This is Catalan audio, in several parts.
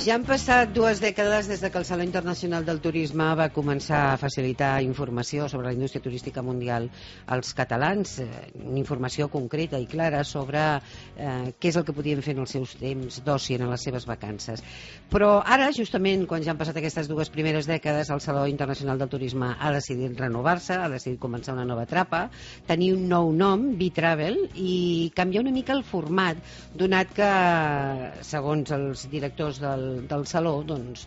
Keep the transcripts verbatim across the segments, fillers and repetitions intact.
Ja han passat dues dècades des que el Saló Internacional del Turisme va començar a facilitar informació sobre la indústria turística mundial als catalans, eh, informació concreta i clara sobre eh, què és el que podien fer en els seus temps d'oci en les seves vacances. Però ara, justament, quan ja han passat aquestes dues primeres dècades, el Saló Internacional del Turisme ha decidit renovar-se, ha decidit començar una nova etapa, tenir un nou nom, B-Travel, i canviar una mica el format, donat que, segons els directors del del Saló, doncs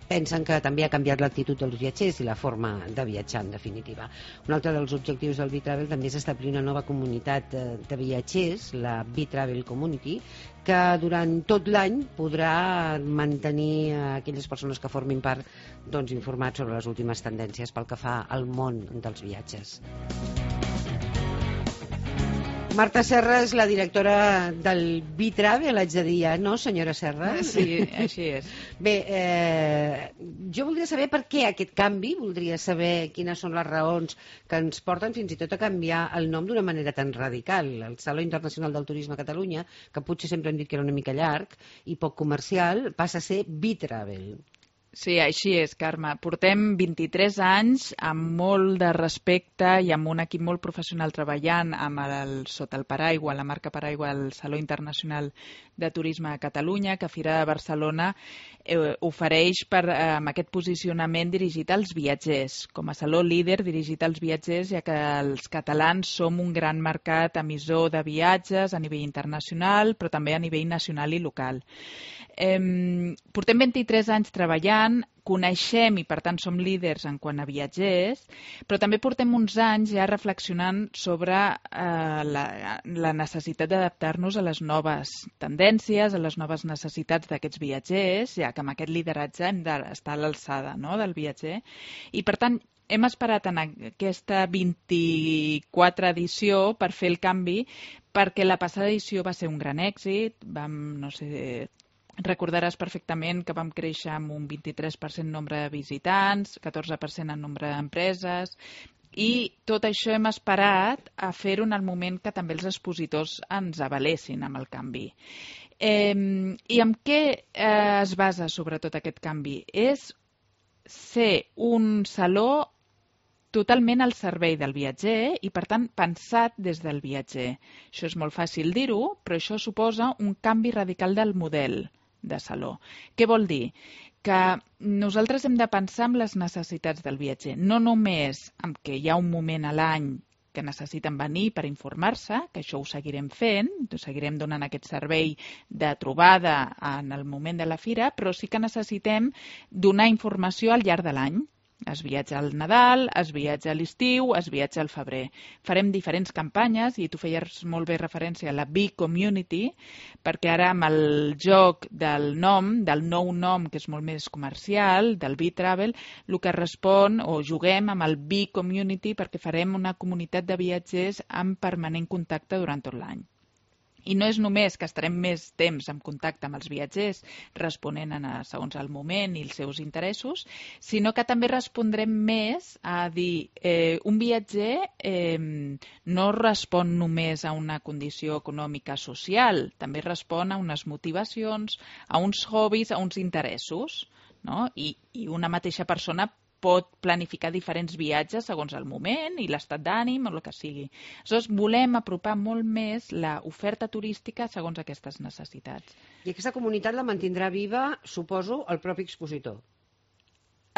pensen que també ha canviat l'actitud dels viatgers i la forma de viatjar, en definitiva. Un altre dels objectius del B-Travel també és establir una nova comunitat de viatgers, la B-Travel Community, que durant tot l'any podrà mantenir aquelles persones que formin part, doncs, informats sobre les últimes tendències pel que fa al món dels viatges. Marta Serra és la directora del B-Travel, haig de dir, no, senyora Serra? Sí, així és. Bé, eh, jo voldria saber per què aquest canvi, voldria saber quines són les raons que ens porten fins i tot a canviar el nom d'una manera tan radical. El Saló Internacional del Turisme a Catalunya, que potser sempre hem dit que era una mica llarg i poc comercial, passa a ser B-Travel. Sí, així és, Carme. Portem vint-i-tres anys amb molt de respecte i amb un equip molt professional treballant amb el, sota el paraigua, la marca paraigua del Saló Internacional de Turisme a Catalunya, que Fira de Barcelona eh, ofereix per, eh, amb aquest posicionament dirigit als viatgers, com a saló líder dirigit als viatgers, ja que els catalans som un gran mercat emissor de viatges a nivell internacional, però també a nivell nacional i local. Eh, portem vint-i-tres anys treballant, coneixem i per tant som líders en quant a viatgers, però també portem uns anys ja reflexionant sobre eh, la, la necessitat d'adaptar-nos a les noves tendències, a les noves necessitats d'aquests viatgers, ja que amb aquest lideratge hem d'estar a l'alçada, no?, del viatger. I per tant hem esperat en aquesta vint-i-quatre edició per fer el canvi, perquè la passada edició va ser un gran èxit, vam, no sé... Recordaràs perfectament que vam créixer amb un vint-i-tres per cent nombre de visitants, catorze per cent en nombre d'empreses, i tot això hem esperat a fer-ho en el moment que també els expositors ens avalessin amb el canvi. Eh, I en què eh, es basa sobretot aquest canvi? És ser un saló totalment al servei del viatger i, per tant, pensat des del viatger. Això és molt fàcil dir-ho, però això suposa un canvi radical del model de saló. Què vol dir? Que nosaltres hem de pensar en les necessitats del viatger, no només en què hi ha un moment a l'any que necessiten venir per informar-se, que això ho seguirem fent, ho seguirem donant aquest servei de trobada en el moment de la fira, però sí que necessitem donar informació al llarg de l'any. Es viatja al Nadal, es viatja a l'estiu, es viatja al febrer. Farem diferents campanyes, i tu feies molt bé referència a la B-Community, perquè ara amb el joc del nom, del nou nom, que és molt més comercial, del B-Travel, el que respon, o juguem amb el B-Community, perquè farem una comunitat de viatgers en permanent contacte durant tot l'any. I no és només que estarem més temps en contacte amb els viatgers, responent a, segons el moment i els seus interessos, sinó que també respondrem més a dir, eh, un viatger eh, no respon només a una condició econòmica social, també respon a unes motivacions, a uns hobbies, a uns interessos, no? I, i una mateixa persona pot planificar diferents viatges segons el moment i l'estat d'ànim o el que sigui. Aleshores, volem apropar molt més l'oferta turística segons aquestes necessitats. I aquesta comunitat la mantindrà viva, suposo, el propi expositor?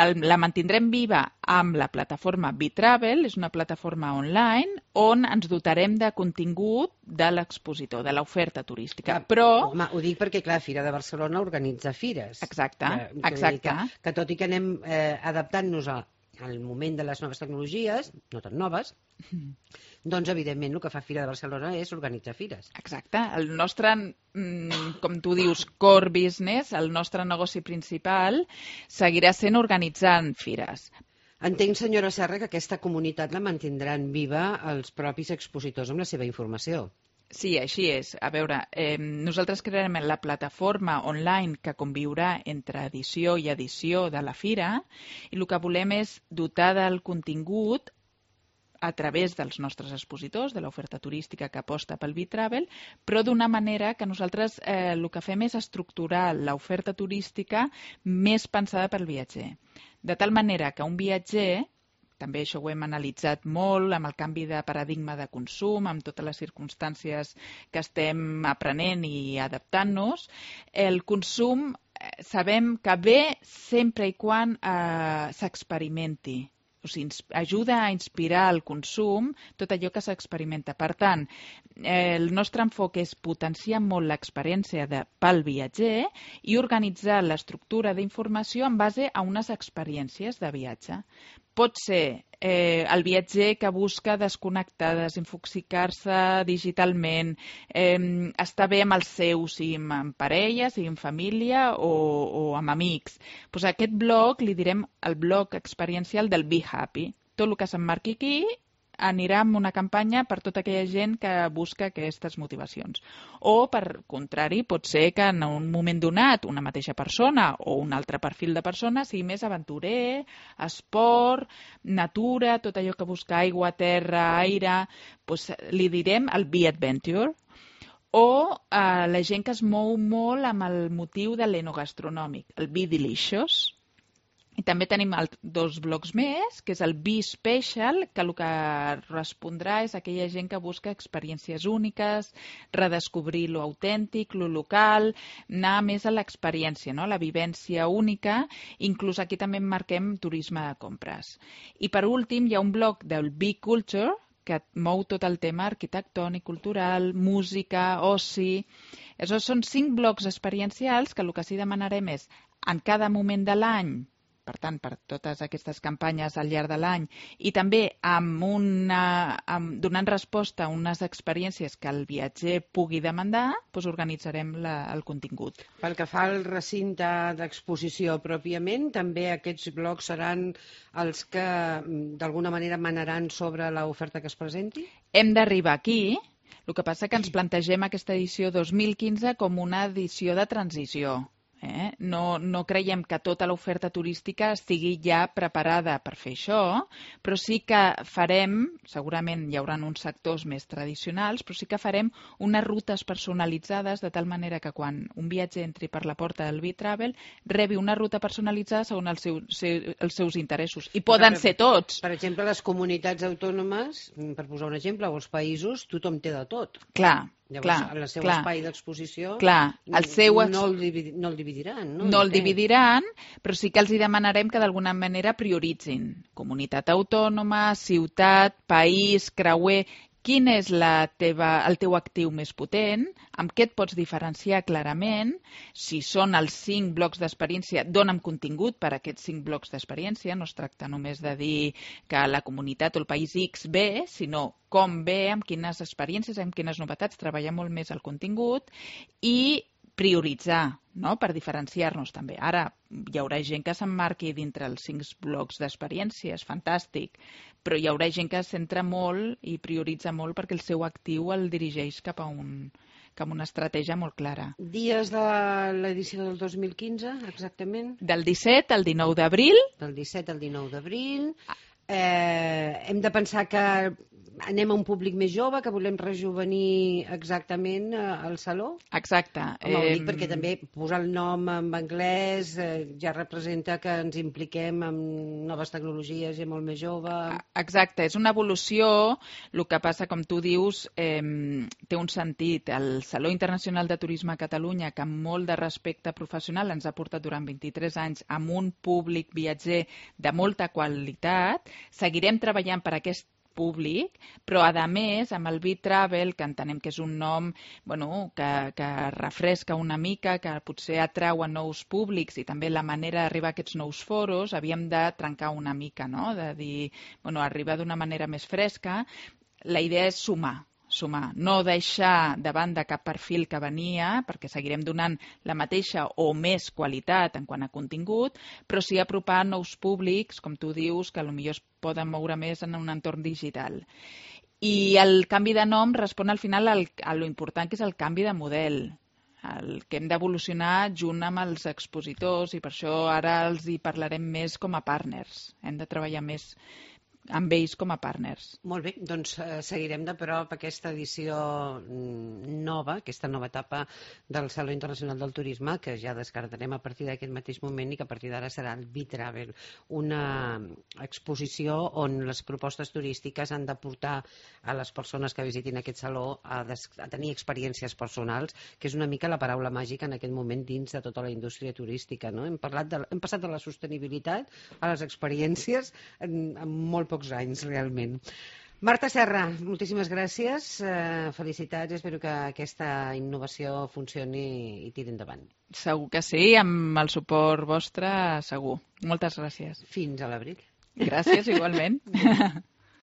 El, la mantindrem viva amb la plataforma B-Travel, és una plataforma online on ens dotarem de contingut de l'expositor, de l'oferta turística. Clar, però... Home, ho dic perquè, clar, Fira de Barcelona organitza fires. Exacte, que, que exacte. Que, que tot i que anem eh, adaptant-nos a, al moment de les noves tecnologies, no tan noves, doncs, evidentment, el que fa Fira de Barcelona és organitzar fires. Exacte. El nostre, com tu dius, core business, el nostre negoci principal, seguirà sent organitzant fires. Entenc, senyora Serra, que aquesta comunitat la mantindran viva els propis expositors amb la seva informació. Sí, així és. A veure, eh, nosaltres crearem la plataforma online que conviurà entre edició i edició de la fira, i el que volem és dotar del contingut a través dels nostres expositors, de l'oferta turística que aposta pel B-Travel, però d'una manera que nosaltres eh, el que fem és estructurar l'oferta turística més pensada pel viatger. De tal manera que un viatger, també això ho hem analitzat molt amb el canvi de paradigma de consum, amb totes les circumstàncies que estem aprenent i adaptant-nos, el consum sabem que ve sempre i quan eh, s'experimenti. O sigui, ajuda a inspirar el consum tot allò que s'experimenta. Per tant, eh, el nostre enfoc és potenciar molt l'experiència de, pel viatger i organitzar l'estructura d'informació en base a unes experiències de viatge. Pot ser eh, el viatger que busca desconnectar, desinfoxicar-se digitalment, eh, estar bé amb els seus, sigui amb parella, sigui amb família o, o amb amics. Pues aquest blog li direm el blog experiencial del Be Happy. Tot el que s'emmarqui aquí anirà amb una campanya per tota aquella gent que busca aquestes motivacions. O, per contrari, pot ser que en un moment donat una mateixa persona o un altre perfil de persona sigui més aventurer, esport, natura, tot allò que busca aigua, terra, aire, doncs li direm el Be Adventure. O eh, la gent que es mou molt amb el motiu de l'enogastronòmic, el Be Delicious. I també tenim el, dos blocs més, que és el Be Special, que el que respondrà és aquella gent que busca experiències úniques, redescobrir lo autèntic, lo local, anar més a l'experiència, no? La vivència única, inclús aquí també marquem turisme de compres. I per últim hi ha un bloc del Be Culture, que mou tot el tema arquitectònic, cultural, música, oci. Això són cinc blocs experiencials que el que sí demanarem és en cada moment de l'any, per tant, per totes aquestes campanyes al llarg de l'any, i també amb una, amb, donant resposta a unes experiències que el viatger pugui demandar, doncs organitzarem la, el contingut. Pel que fa al recinte d'exposició pròpiament, també aquests blocs seran els que d'alguna manera manaran sobre l'oferta que es presenti? Hem d'arribar aquí. El que passa que ens plantegem aquesta edició dos mil quinze com una edició de transició. Eh? No, no creiem que tota l'oferta turística estigui ja preparada per fer això, però sí que farem, segurament hi haurà uns sectors més tradicionals, però sí que farem unes rutes personalitzades de tal manera que quan un viatger entri per la porta del B-Travel rebi una ruta personalitzada segons els seus, els seus interessos. I poden ser tots. Per exemple, les comunitats autònomes, per posar un exemple, o els països, tothom té de tot. Clar. Llavors, clar, en el seu clar, espai d'exposició clar, el seu ex... no, el dividi... no el dividiran. No, no el dividiran, però sí que els hi demanarem que d'alguna manera prioritzin comunitat autònoma, ciutat, país, creuer. Quin és la teva, el teu actiu més potent? Amb què et pots diferenciar clarament? Si són els cinc blocs d'experiència, dona'm contingut per a aquests cinc blocs d'experiència. No es tracta només de dir que la comunitat o el país X ve, sinó com ve, amb quines experiències, amb quines novetats, treballar molt més el contingut i prioritzar, no? Per diferenciar-nos també. Ara hi haurà gent que s'emmarqui dintre els cinc blocs d'experiències, fantàstic, però hi haurà gent que es centra molt i prioritza molt perquè el seu actiu el dirigeix cap a, un, cap a una estratègia molt clara. Dies de l'edició del dos mil quinze, exactament? Del disset al dinou d'abril. Del disset al dinou d'abril. Eh, hem de pensar que anem a un públic més jove, que volem rejuvenir exactament el saló? Exacte. Home, ho dic perquè també posar el nom en anglès eh, ja representa que ens impliquem en noves tecnologies i molt més jove. Exacte, és una evolució. El que passa, com tu dius, eh, té un sentit. El Saló Internacional de Turisme a Catalunya, que amb molt de respecte professional ens ha portat durant vint-i-tres anys amb un públic viatger de molta qualitat, seguirem treballant per aquest públic, però a més amb el B-Travel, que entenem que és un nom bueno, que, que refresca una mica, que potser atrau a nous públics i també la manera d'arribar a aquests nous foros, havíem de trencar una mica, no? De dir, bueno, arribar d'una manera més fresca. La idea és sumar, sumar, no deixar de banda cap perfil que venia, perquè seguirem donant la mateixa o més qualitat en quant a contingut, però sí apropar nous públics, com tu dius, que potser es poden moure més en un entorn digital. I el canvi de nom respon al final al, a lo important que és el canvi de model, el que hem d'evolucionar junt amb els expositors i per això ara els hi parlarem més com a partners. Hem de treballar més amb ells com a partners. Molt bé, doncs eh, seguirem de prop aquesta edició nova, aquesta nova etapa del Saló Internacional del Turisme, que ja descartarem a partir d'aquest mateix moment i que a partir d'ara serà el B-Travel, una exposició on les propostes turístiques han de portar a les persones que visitin aquest saló a, des a tenir experiències personals, que és una mica la paraula màgica en aquest moment dins de tota la indústria turística. No? Hem, parlat de, hem passat de la sostenibilitat a les experiències en, en molt pocs anys, realment. Marta Serra, moltíssimes gràcies, eh, felicitats, espero que aquesta innovació funcioni i tiri endavant. Segur que sí, amb el suport vostre, segur. Moltes gràcies. Fins a l'abril. Gràcies, igualment.